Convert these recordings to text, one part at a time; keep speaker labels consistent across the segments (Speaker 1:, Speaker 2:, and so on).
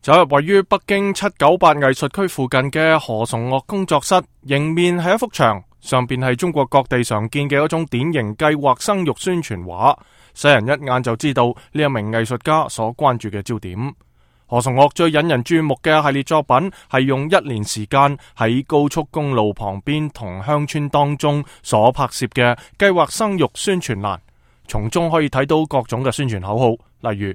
Speaker 1: 走入位於北京798藝術區附近嘅何崇岳工作室，迎面係一幅牆，上邊係中國各地常見嘅一種典型計劃生育宣傳畫，世人一眼就知道呢一名藝術家所關注嘅焦點。何崇岳最引人注目嘅系列作品係用1年時間喺高速公路旁邊同鄉村當中所拍攝嘅計劃生育宣傳欄，從中可以睇到各種嘅宣傳口號，例如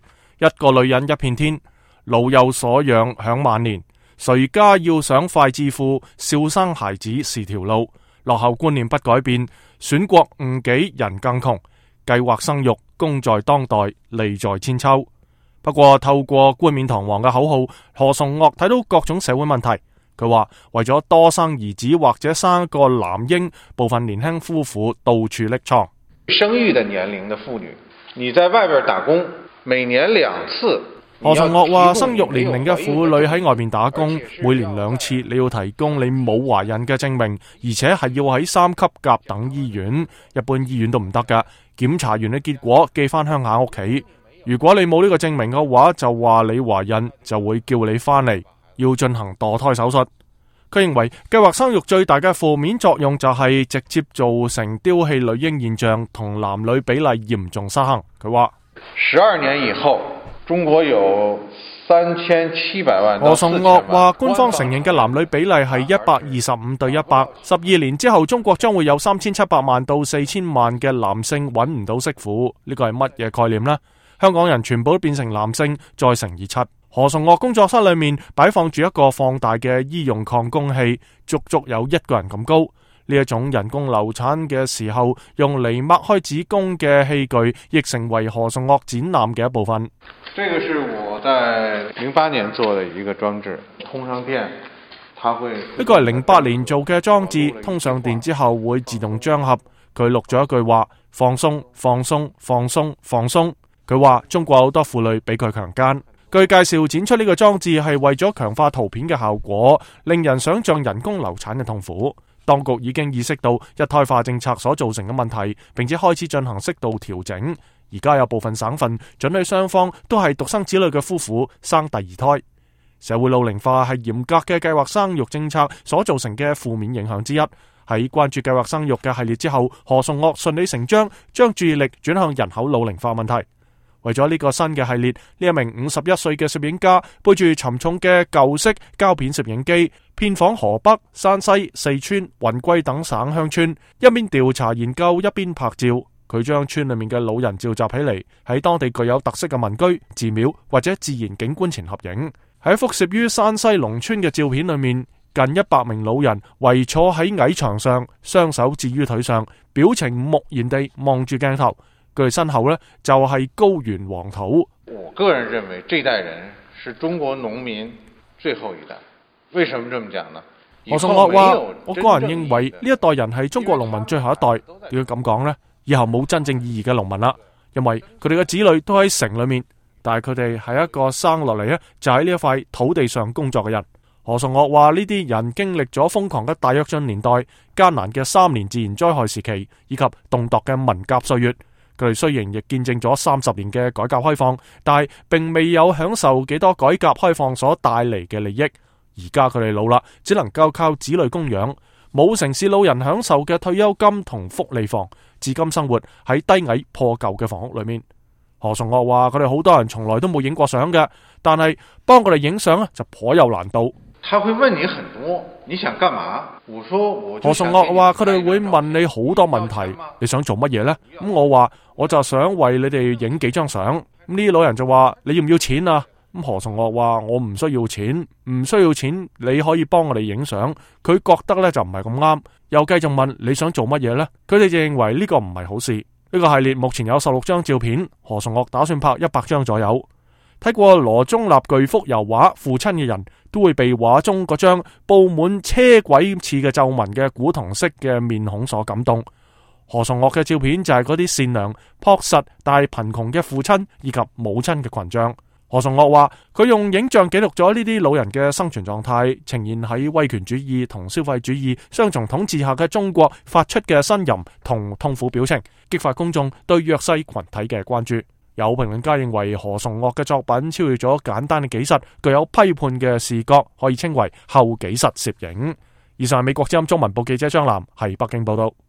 Speaker 1: 一個女人一片天，老有所養享晚年，誰家要想快致富，少生孩子是條路，落後觀念不改變，損國誤己人更窮，計劃生育功在當代，利在千秋。不過透過冠冕堂皇嘅口號，何崇岳睇到各種社會問題。佢話為咗多生兒子或者生一個男嬰，部分年輕夫婦到處匿瘡。
Speaker 2: 生育的年齡的婦女，你在外邊打工，每年2次。
Speaker 1: 何崇岳話生育年齡嘅婦女喺外面打工，每年2次，你要提供你冇懷孕嘅證明，而且係要喺3級甲等醫院，一般醫院都唔得㗎。檢查完嘅結果寄翻鄉下屋企。如果你冇呢個證明嘅話，就話你懷孕，就會叫你翻嚟，要進行墮胎手術。佢認為計劃生育最大嘅負面作用就係直接造成丟棄女嬰現象同男女比例嚴重失衡。佢話
Speaker 2: 12年以後，中國有3700萬。
Speaker 1: 何崇岳話官方承認嘅男女比例係125對100。12年之後，中國將會有3700萬到4000萬嘅男性揾唔到媳婦。呢個係乜嘢概念呢？香港人全部都變成男性，再乘以7。何崇岳工作室裏面擺放住一個放大嘅醫用擴宮器，足足有1個人咁高。呢一種人工流產嘅時候用嚟擘開子宮嘅器具，亦成為何崇岳展覽嘅一部分。
Speaker 2: 這個是我在08年做的一個裝置，通上電，它會。
Speaker 1: 呢個係08年做嘅裝置，通上電之後會自動張合。佢錄咗一句話：放鬆，放鬆，放鬆，放鬆。佢話中國好多婦女俾佢強姦。據介紹，展出呢個裝置係為咗強化圖片嘅效果，令人想象人工流產嘅痛苦。當局已經意識到一胎化政策所造成嘅問題，並且開始進行適度調整。而家有部分省份准許雙方都係獨生子女嘅夫婦生第2胎。社會老齡化係嚴格嘅計劃生育政策所造成嘅負面影響之一。喺關注計劃生育嘅系列之後，何崇岳順理成章將注意力轉向人口老齡化問題。為咗呢個新嘅系列，呢一名51歲嘅攝影家背住沉重嘅舊式膠片攝影機，遍訪河北、山西、四川、雲貴等省鄉村，一邊調查研究，一邊拍照。佢將村裏面嘅老人召集起嚟，喺當地具有特色嘅民居、寺廟或者自然景觀前合影。喺一幅攝於山西農村嘅照片裏面，近100名老人圍坐喺矮牆上，雙手置於腿上，表情木然地望住鏡頭。佢身後呢，就係高原黃土。
Speaker 2: 我個人認為這代人是中國農民最後一代。為什麼這麼講呢？
Speaker 1: 何崇岳話：我個人認為呢一代人係中國農民最後一代。點解咁講呢？以後冇真正意義嘅農民啦，因為佢哋嘅子女都喺城裏面，但係佢哋係一個生落嚟呢，就喺呢一塊土地上工作嘅人。何崇岳話：呢啲人經歷咗瘋狂嘅大躍進年代、艱難嘅3年自然災害時期，以及動盪嘅文革歲月。佢哋雖然亦見證咗30年嘅改革開放，但係並未有享受幾多改革開放所帶嚟嘅利益。而家佢哋老啦，只能夠靠子女供養，冇城市老人享受嘅退休金同福利房，至今生活喺低矮破舊嘅房屋裏面。何崇岳話：佢哋好多人從來都冇影過相嘅，但係幫佢哋影相就頗有難度。
Speaker 2: 他會問你很多，你想幹嘛？我說我。
Speaker 1: 何崇岳話：佢哋會問你好多問題，你想做乜嘢呢？咁我話我就想為你哋影幾張相。咁呢啲老人就話：你要唔要錢啊？咁何崇岳話：我唔需要錢，唔需要錢，你可以幫我哋影相。佢覺得呢就唔係咁啱，又繼續問你想做乜嘢呢？佢哋就認為呢個唔係好事。呢個系列目前有16張照片，何崇岳打算拍100張左右。睇過羅中立巨幅油畫《父親》嘅人都會被畫中嗰張布滿車軌似嘅皺紋嘅古銅色嘅面孔所感動。何崇岳嘅照片就係嗰啲善良、樸實但係貧窮嘅父親以及母親嘅群像。何崇岳話：佢用影像記錄咗呢啲老人嘅生存狀態，呈現喺威權主義同消費主義雙重統治下嘅中國發出嘅呻吟同痛苦表情，激發公眾對弱勢群體嘅關注。有評論家認為何崇岳嘅作品超越咗簡單嘅紀實，具有批判嘅視覺，可以稱為後紀實攝影。以上係美國之音中文部記者張楠喺北京報道。